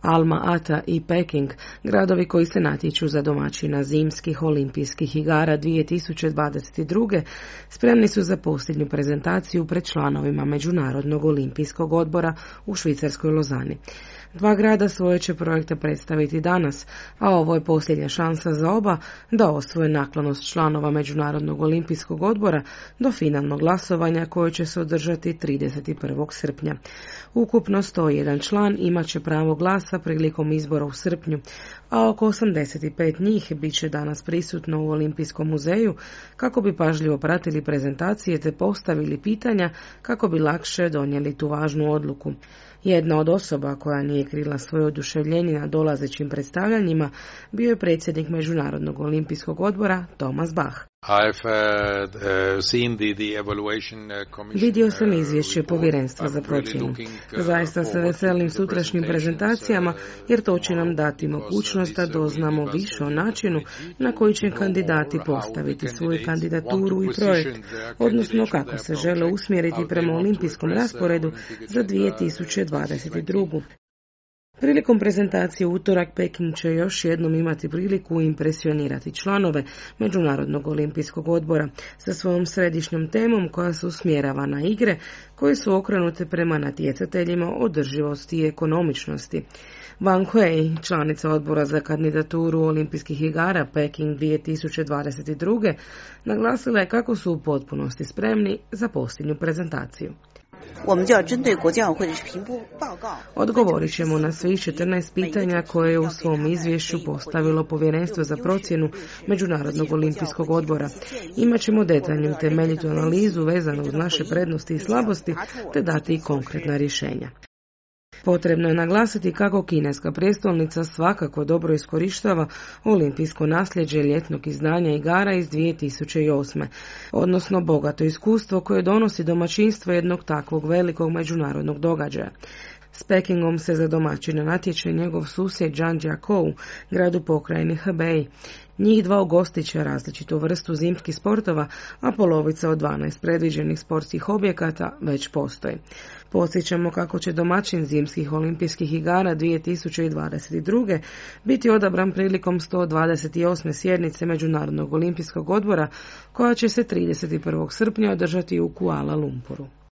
Alma Ata i Peking, gradovi koji se natječu za domaćina zimskih olimpijskih igara 2022. spremni su za posljednju prezentaciju pred članovima Međunarodnog olimpijskog odbora u švicarskoj Lozani. Dva grada svoje će projekte predstaviti danas, a ovo je posljednja šansa za oba da osvoje naklonost članova Međunarodnog olimpijskog odbora do finalnog glasovanja koje će se održati 31. srpnja. Ukupno 101 član imat će pravo glasa prilikom izbora u srpnju, a oko 85 njih bit će danas prisutno u Olimpijskom muzeju kako bi pažljivo pratili prezentacije te postavili pitanja kako bi lakše donijeli tu važnu odluku. Jedna od osoba koja nije krila svoje oduševljenje na dolazećim predstavljanjima bio je predsjednik Međunarodnog olimpijskog odbora Thomas Bach. Vidio sam izvješće povjerenstva za procjenu. Zaista se veselim sutrašnjim prezentacijama jer to će nam dati mogućnost da doznamo više o načinu na koji će kandidati postaviti svoju kandidaturu i projekt, odnosno kako se žele usmjeriti prema olimpijskom rasporedu za 2022. Prilikom prezentacije u utorak Peking će još jednom imati priliku impresionirati članove Međunarodnog olimpijskog odbora sa svojom središnjom temom koja se usmjerava na igre koje su okrenute prema natjecateljima održivosti i ekonomičnosti. Wang Hui, članica odbora za kandidaturu olimpijskih igara Peking 2022. naglasila je kako su u potpunosti spremni za posljednju prezentaciju. Odgovorit ćemo na svih 14 pitanja koje je u svom izvješću postavilo Povjerenstvo za procjenu Međunarodnog olimpijskog odbora. Imaćemo detaljnu temeljitu analizu vezanu uz naše prednosti i slabosti te dati i konkretna rješenja. Potrebno je naglasiti kako kineska prijestolnica svakako dobro iskorištava olimpijsko nasljeđe ljetnog izdanja igara iz 2008. odnosno bogato iskustvo koje donosi domaćinstvo jednog takvog velikog međunarodnog događaja. S Pekingom se za domaćina natječe njegov susjed Zhangjiakou, grad u pokrajini Hebei. Njih dva ugostit će različitu vrstu zimskih sportova, a polovica od 12 predviđenih sportskih objekata već postoji. Podsjećamo kako će domaćin zimskih olimpijskih igara 2022. biti odabran prilikom 128. sjednice Međunarodnog olimpijskog odbora koja će se 31. srpnja održati u Kuala Lumpuru.